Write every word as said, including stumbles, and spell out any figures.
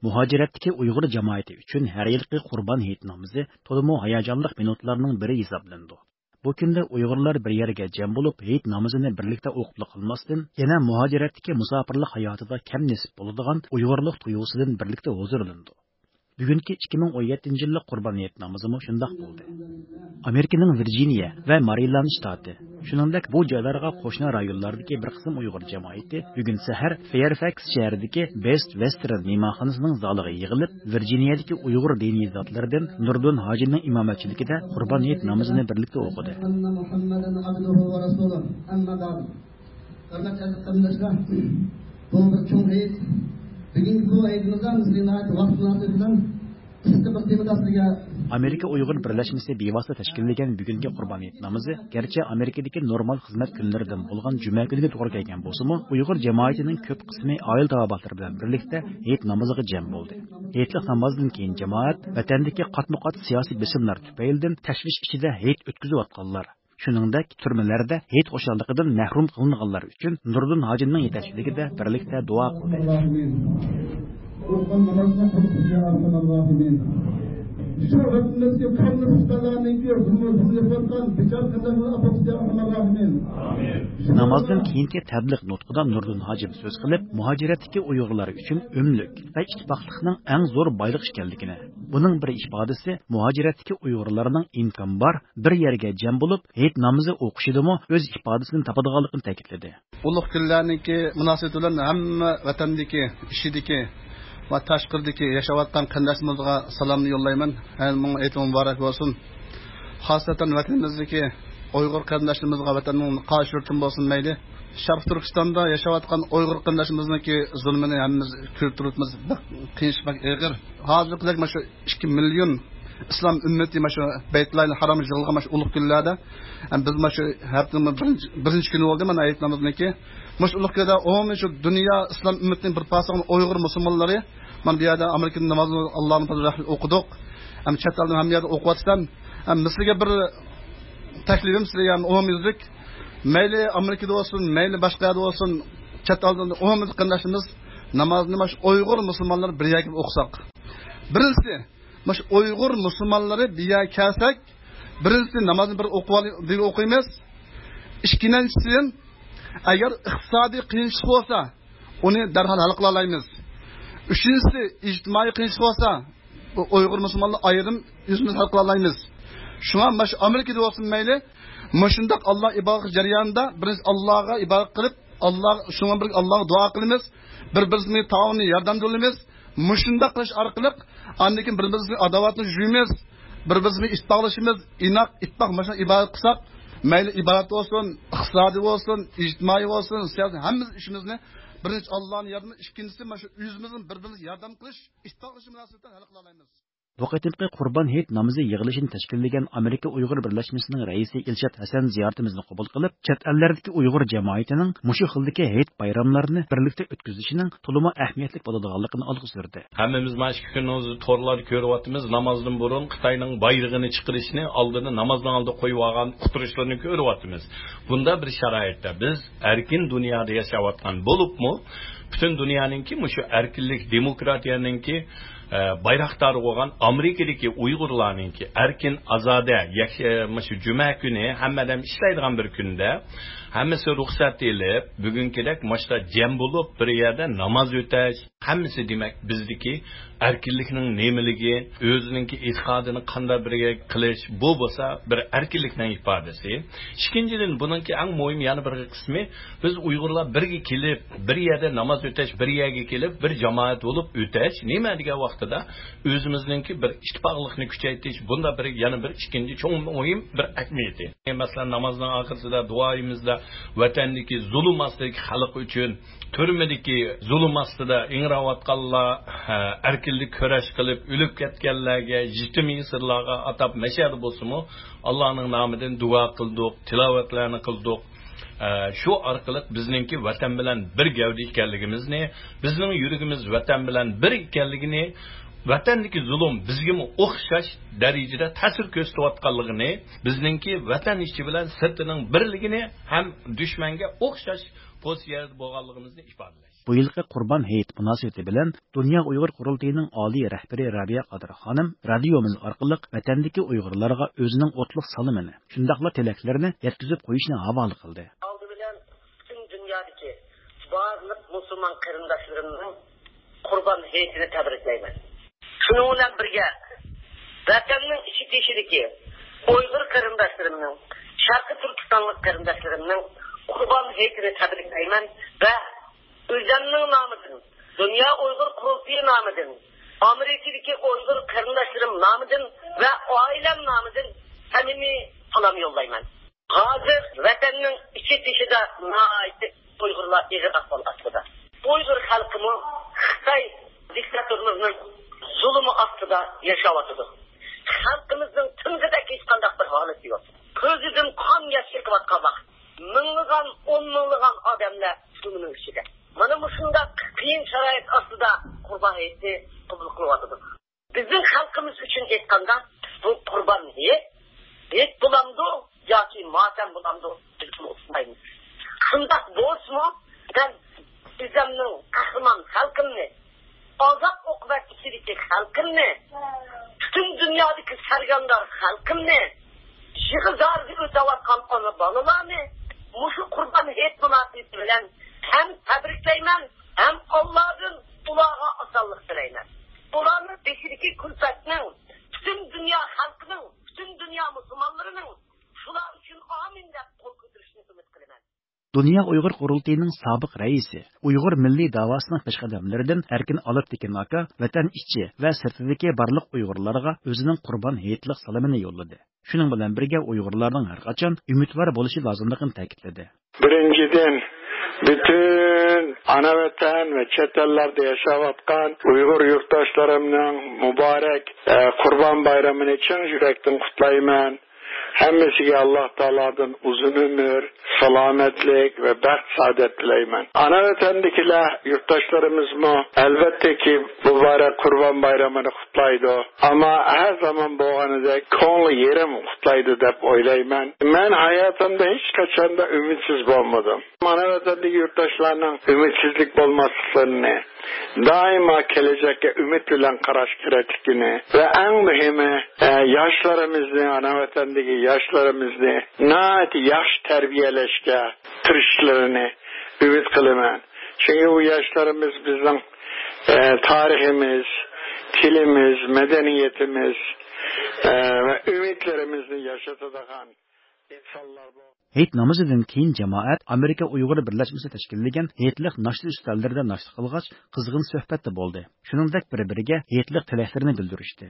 مۇھاجىرەتتىكى ئۇيغۇر جامائىتى ئۈچۈن ھەر يىلقى قۇربان ھېيت نامىزى تولىمۇ ھاياجانلىق مىنۇتلارنىڭ بىرى ھېسابلىنىدۇ. بۇ كۈندە ئۇيغۇرلار بىر يەرگە جەم بولۇپ، ھېيت نامىزىنى بىرلىكتە ئوقۇپلا قالماستىن، يەنە مۇھاجىرەتتىكى مۇساپىرلىق ھاياتىدا كەم نېسىپ بولىدىغان ئۇيغۇرلۇق تۇيغۇسىدىن بىرلىكتە ھۇزۇرلىنىدۇ. بۈگۈنكى ئىككى مىڭ ئون يەتتىنچى يىللىق قۇربان ھېيت نامىزىمۇ شۇنداق بولدى. ئامېرىكىنىڭ ۋىرجىنىيە ۋە مارىلاند شتاتى، شۇنىڭدەك بۇ جايلارغا قوشنا رايونلاردىكى بىر قىسىم ئۇيغۇر جامائىتى بۈگۈن سەھەر فېيرفەكس شەھىرىدىكى بېست ۋېستېرن مېھمانخانىسىنىڭ زالىغا يىغىلىپ، ۋىرجىنىيەدىكى ئۇيغۇر دىنىي زاتلىرىدىن نۇردىن ھاجىنىڭ ئىمامەتچىلىكىدە قۇربان ھېيت نامىزىنى بىرلىكتە ئوقۇدى. ھۆرمەتلىك ئەزىز قېرىنداشلار، بۇ بىر چوڭ ھېيت. بۈگۈنكى بۇ ھېيتىمىزدا بىز ناھايىتى ۋاقىت مۇناسىۋىتى بىلەن قىسقا بىر تېمىدا سىزگە ئامېرىكا ئۇيغۇر بىرلەشمىسى بىۋاسىتە تەشكىللىگەن بۈگۈنكى قۇربان ھېيت نامىزى گەرچە ئامېرىكىدىكى نورمال خىزمەت كۈنلىرىدىن بولغان جۈمە كۈنىگە توغرا كەلگەن بولسىمۇ، ئۇيغۇر جامائىتىنىڭ كۆپ قىسمى ئائىلە تاۋابىئاتلىرى بىلەن بىرلىكتە ھېيت نامىزىغا جەم بولدى. ھېيتلىق نامازدىن كېيىن جامائەت ۋەتەندىكى قاتمۇقات سىياسىي بېسىملار تۈپەيلىدىن تەشۋىش ئىچىدە ھېيت ئۆتكۈزۈۋاتقانلار، شۇنىڭدەك تۈرمىلەردە ھېيت خۇشاللىقىدىن مەھرۇم قىلىنغانلار ئۈچۈن نۇردىن ھاجىمنىڭ يېتەكچىلىكىدە بىرلىكتە دۇئا قىلدى. شۇ ۋەتىنىمىزدىكى قانلى پۇشتالارنىڭكى زۇلمى، زۇلمى يېتىۋاتقان بىچارە قېرىنداشلارنى ئاپارغۇچى يا ئارھامەر راھىمىن. نامازدىن كېيىنكى تەبلىغ نۇتقىدا نۇردىن ھاجىم سۆز قىلىپ، مۇھاجىرەتتىكى ئۇيغۇرلار ئۈچۈن ئۆملۈك ۋە ئىتتىپاقلىقنىڭ ئەڭ زور بايلىق ئىكەنلىكىنى، بۇنىڭ بىر ئىپادىسى مۇھاجىرەتتىكى ئۇيغۇرلارنىڭ ئىمكان بار بىر يەرگە جەم بولۇپ، ھېيت نامىزى ئوقۇشىدىمۇ ئۆز ئىپادىسىنى تاپىدىغانلىقىنى تەكىتلىدى. ئۇلۇغ كۈنلەرنىڭكى مۇناسىۋىتى بىلەن ھەممە ۋەتەندىكى، ئىچىدىكى ۋە تاشقىرىدىكى ياشاۋاتقان قېرىنداشلىرىمىزغا سالامنى يوللايمەن. ھەممىڭلار ھېيتىڭلار مۇبارەك بولسۇن. خاسسەتەن ۋەتىنىمىزدىكى ئۇيغۇر قېرىنداشلىرىمىزغا ۋەتەننىڭ قايسى يۇرتتىن بولسۇن مەيلى، شەرقىي تۈركىستاندا ياشاۋاتقان ئۇيغۇر قېرىنداشلىرىمىزنىڭكى زۇلمىنى ھەممىمىز كۆرۈپ تۇرۇۋاتىمىز. بەك قىيىن ئىش، بەك ئېغىر. ھازىرقىدەك مانا شۇ ئىككى مىليون ئىسلام ئۈممىتى مانا شۇ بەيتۇللاھىل ھارامغا يىغىلغان مانا شۇ ئۇلۇغ كۈنلەردە، ھەم بىز مانا شۇ ھەپتىنىڭ بىرىنچى، بىرىنچى كۈنى بولدى مانا ھېيت نامىزىنىڭكى. مانا شۇ ئۇلۇغ كۈندە ئومۇمەن شۇ دۇنيا ئىسلام ئۈممىتىنىڭ بىر پارچىسى بولغان ئۇيغۇر مۇسۇلمانلىرى مانا بۇ يەردە ئامېرىكىدىن نامازنى ئاللانىڭ پەزلى رەھمىتى ئوقۇدۇق. ھەم چەت ئەلدىن ھەممە يەردە ئوقۇۋاتىسەن. ھەم سىزگە بىر تەكلىپىم، سىزگە يەنە ئومۇميۈزلۈك، مەيلى ئامېرىكىدا بولسۇن، مەيلى باشقا يەردە بولسۇن، چەت ئەلدە ئومۇميۈزلۈك قېرىنداشلىرىمىز نامازنى مانا شۇ ئۇيغۇر مۇسۇلمانلىرى بىر يەرگە كېلىپ ئوقۇساق. بىرىنچىسى، مانا شۇ ئۇيغۇر مۇسۇلمانلىرى بىر يەرگە كەلسەك، بىرىنچىسى نامازنى بىر ئوقۇۋالىي-، بىر ئوقۇيمىز. ئىككىنچىسى، ئەگەر ئىقتىسادىي قىيىنچىلىق بولسا، ئۇنى دەرھال ھەل قىلالايمىز. ئۈچىنچىسى، ئىجتىمائىي قىيىنچىلىق بولسا، بۇ ئۇيغۇر مۇسۇلمانلار ئايرىم ئۆزىمىز ھەل قىلالايمىز. شۇڭا مانا شۇ ئامېرىكىدا بولسۇن مەيلى، مۇشۇنداق ئاللا ئىبادەت جەريانىدا بىرىنچى ئاللاغا ئىبادەت قىلىپ، ئاللا، شۇنىڭ بىلەن ئاللاغا دۇئا قىلىمىز. بىر-بىرىمىزگە تائاۋۇن، ياردەم قىلىمىز. مۇشۇنداق قىلىش ئارقىلىق ئاندىن كېيىن بىر-بىرىمىزنىڭ ئاداۋاتىنى يۇيىمىز، بىر-بىرىمىزنى ئىتتىپاقلىشىمىز، ئىناق، ئىتتىپاق مۇشۇنداق ئىبادەت قىلساق، مەيلى ئىبادەت بولسۇن، ئىقتىسادىي بولسۇن، ئىجتىمائىي بولسۇن، سىياسىي، ھەممە ئىشىمىزنى بىرىنچى ئاللانىڭ ياردىمى، ئىككىنچىسى مانا شۇ ئۆزىمىزنىڭ بىر-بىرىمىزگە ياردەم قىلىش، ئىتتىپاقلىشىش مۇناسىۋىتى بىلەن ھەل قىلالايمىز. بۇ قېتىمقى قۇربان ھېيت نامىزى يىغىلىشىنى تەشكىللىگەن ئامېرىكا ئۇيغۇر بىرلەشمىسىنىڭ رەئىسى ئىلشات ھەسەن زىيارىتىمىزنى قوبۇل قىلىپ، چەت ئەللەردىكى ئۇيغۇر جامائىتىنىڭ مۇشۇ خىلدىكى ھېيت بايراملارنى بىرلىكتە ئۆتكۈزۈشىنىڭ تولىمۇ ئەھمىيەتلىك بولىدىغانلىقىنى ئالغا سۈردى. ھەممىمىز مانا ئىككى كۈننىڭ ئۆزىدە تورلاردا كۆرۈۋاتىمىز، نامازدىن بۇرۇن خىتاينىڭ بايرىقىنى چىقىرىشنى، ئالدىدا نامازنىڭ ئالدىدا قويۇۋالغان ئۇتتۇرۇشلىرىنى كۆرۈۋاتىمىز. بۇنداق بىر شارائىتتا بىز ئەركىن دۇنيادا ياشاۋاتقان بولۇپمۇ، پۈتۈن دۇنيانىڭكى مۇشۇ ئەركىنلىك، دېموكراتىيەنىڭكى، ئە، بايراقدارى بولغان ئامېرىكىدىكى ئۇيغۇرلارنىڭكى ئەركىن، ئازادە، يەك-، ئە، مۇشۇ جۈمە كۈنى ھەممە ئادەم ئىشلەيدىغان بىر كۈندە، ھەممىسى رۇخسەت ئېلىپ، بۈگۈنكىدەك مۇشۇنداق جەم بولۇپ، بىر يەردە ناماز ئۆتەش، ھەممىسى، دېمەك، بىزدىكى ئەركىنلىكنىڭ نېمىلىكى، ئۆزىنىڭكى ئېتىقادىنى قانداق بىرگە قىلىش، بۇ بولسا بىر ئەركىنلىكنىڭ ئىپادىسى. ئىككىنچىدىن، بۇنىڭكى ئەڭ مۇھىم يەنە بىر قىسمى، بىز ئۇيغۇرلار بىرگە كېلىپ، بىر يەردە ناماز ئۆتەش، بىر يەرگە كېلىپ، بىر جامائەت بولۇپ ئۆتەش. نېمە دېگەن ۋاقتىدا ئۆزىمىزنىڭكى بىر ئىتتىپاقلىقنى كۈچەيتىش، بۇندا بىر، يەنە بىر ئىككىنچى چوڭ مۇھىم بىر ئەھمىيىتى. مەسىلەن، نامازنىڭ ئاخىرىسىدا دۇئايىمىزدا ۋەتەندىكى زۇلۇم ئاستىدىكى خەلق ئۈچۈن، تۈرمىدىكى زۇلۇم ئاستىدا ئىڭراۋاتقانلار، ھە، ئەركىنلىك كۈرەش قىلىپ ئۆلۈپ كەتكەنلەرگە، يېتىم يېسىرلارغا ئاتاپ مەشەدە بولسىمۇ، ئاللانىڭ نامىدىن دۇئا قىلدۇق، تىلاۋەتلەرنى قىلدۇق. ھە، شۇ ئارقىلىق بىزنىڭكى ۋەتەن بىلەن بىر گەۋدە ئىكەنلىكىمىزنى، بىزنىڭ يۈرىكىمىز ۋەتەن بىلەن بىر ئىكەنلىكىنى، ۋەتەندىكى زۇلۇم بىزگىمۇ ئوخشاش دەرىجىدە تەسىر كۆرسىتىۋاتقانلىقىنى، بىزنىڭكى ۋەتەن ئىچى بىلەن سىرتىنىڭ بىرلىكىنى ھەم دۈشمەنگە ئوخشاش پوزىتسىيەدە بولغانلىقىمىزنى ئىپادىلەش. بۇ يىلقى قۇربان ھېيت مۇناسىۋىتى بىلەن دۇنيا ئۇيغۇر قۇرۇلتىيىنىڭ ئالىي رەھبىرى رابىيە قادىر خانىم رادىيومىز ئارقىلىق ۋەتەندىكى ئۇيغۇرلارغا ئۆزىنىڭ ئوتلۇق سالىمىنى، شۇنداقلا تىلەكلىرىنى يەتكۈزۈپ قويۇشنى ھاۋالە قىلدى. ئالدى بىلەن پۈتۈن دۇنيادىكى بارلىق مۇسۇلمان قېرىنداشلىرىمنىڭ قۇربان ھېيتىنى تەبرىكلەيمەن. شۇنىڭ بىلەن بىرگە، ۋەتەننىڭ ئىچى تېشىدىكى ئۇيغۇر قېرىنداشلىرىمنىڭ، شەرقىي تۈركىستانلىق قېرىنداشلىرىمنىڭ قۇربان ھېيتىنى تەبرىكلەيمەن ۋە ئۆزۈمنىڭ نامىدىن، دۇنيا ئۇيغۇر قۇرۇلتىيى نامىدىن، ئامېرىكىدىكى ئۇيغۇر قېرىنداشلىرىم نامىدىن ۋە ئائىلەم نامىدىن سەمىمىي سالام يوللايمەن. ھازىر ۋەتەننىڭ ئىچى تېشىدا ناھايىتى ئۇيغۇرلار ئېغىر ئەھۋال ئاستىدا. ئۇيغۇر خەلقىمۇ خىتاي دىكتاتورلىرىنىڭ زۇلۇمى ئاستىدا ياشاۋاتىدۇ. خەلقىمىزنىڭ تىنغىدەك ھېچقانداق بىر ھالىتى يوق. كۆزىدىن قان ياش ئېقىۋاتقان ۋاقىت. مىڭلىغان، ئون مىڭلىغان ئادەملەر زۇلۇمنىڭ ئىچىدە. مانا مۇشۇنداق قىيىن شارائىت ئاستىدا قۇربان ھېيتنى قوبۇل قىلىۋاتىدۇ. بىزنىڭ خەلقىمىز ئۈچۈن ئېيتقاندا، بۇ قۇربان ھېيت، ھېيت بولامدۇ ياكى ماتەم بولامدۇ، بىز ئۇنى ئۇقمايمىز. شۇنداق بولسىمۇ، مەن ئۆزۈمنىڭ قەھرىمان خەلقىمنى، ئازاب ئوقۇبەت ئىچىدىكى خەلقىمنى، پۈتۈن دۇنيادىكى سەرگەردان خەلقىمنى، يىغا زارىدا ئۆتەۋاتقان ئانا بالىلارنى مۇشۇ قۇربان ھېيت مۇناسىۋىتى بىلەن ھەم تەبرىكلەيمەن، ھەم ئاللادىن ئۇلارغا ئاسانلىق تىلەيمەن. ئۇلارنىڭ بېشىدىكى كۈلپەتنىڭ پۈتۈن دۇنيا خەلقىنىڭ، پۈتۈن دۇنيا مۇسۇلمانلىرىنىڭ شۇلار ئۈچۈن ئامىن دەپ قول كۆتۈرۈشىنى ئۈمىد قىلىمەن. دۇنيا ئۇيغۇر قۇرۇلتىيىنىڭ سابىق رەئىسى، ئۇيغۇر مىللىي داۋاسىنىڭ پېشقەدەملىرىدىن ئەركىن ئالپتېكىن ئاكا ۋەتەن ئىچى ۋە سىرتىدىكى بارلىق ئۇيغۇرلارغا ئۆزىنىڭ قۇربان ھېيتلىق سالىمىنى يوللىدى. شۇنىڭ بىلەن بىرگە، ئۇيغۇرلارنىڭ ھەرقاچان ئۈمىدۋار بولۇشى لازىملىقىنى تەكىتلىدى. بىرىنچىدىن، پۈتۈن ئانا ۋەتەن ۋە چەت ئەللەردە ياشاۋاتقان ئۇيغۇر يۇرتداشلىرىمنىڭ مۇبارەك، ئە، قۇربان بايرىمىنى چىن يۈرەكتىن قۇتلايمەن. ھەممىسىگە ئاللا تائالادىن ئۇزۇن ئۆمۈر، سالامەتلىك ۋە بەخت سائادەت تىلەيمەن. ئانا ۋەتەندىكىلەر، يۇرتداشلىرىمىزمۇ ئەلۋەتتىكى مۇبارەك قۇربان بايرىمىنى قۇتلايدۇ. ئەمما ھەر زامان بولغىنىدەك كۆڭلى يېرىم قۇتلايدۇ دەپ ئويلايمەن. مەن ھاياتىمدا ھېچقاچاندا ئۈمىدسىز بولمىدىم. ئانا ۋەتەندىكى يۇرتداشلارنىڭ ئۈمىدسىزلىك بولماسلىقلىرىنى، دائىما كېلەچەككە ئۈمىد بىلەن قاراش كېرەكلىكىنى ۋە ئەڭ مۇھىمى، ئە، ياشلىرىمىزنى، ئانا ۋەتەندىكى ياشلىرىمىزنى ناھايىتى ياخشى تەربىيەلەشكە تىرىشىشلىرىنى ئۈمىد قىلىمەن. چۈنكى بۇ ياشلىرىمىز بىزنىڭ، ئە، تارىخىمىز، تىلىمىز، مەدەنىيىتىمىز، ئە، ۋە ئۈمىدلىرىمىزنى ياشىتىدىغان ئىنسانلار بۇ. ھېيت نامىزىدىن كېيىن جامائەت ئامېرىكا ئۇيغۇر بىرلەشمىسى تەشكىللىگەن ھېيتلىق ناشتا ئۈستەللىرىدە ناشتا قىلغاچ، قىزغىن سۆھبەتتە بولدى. شۇنىڭدەك بىر-بىرىگە ھېيتلىق تىلەكلىرىنى بىلدۈرۈشتى.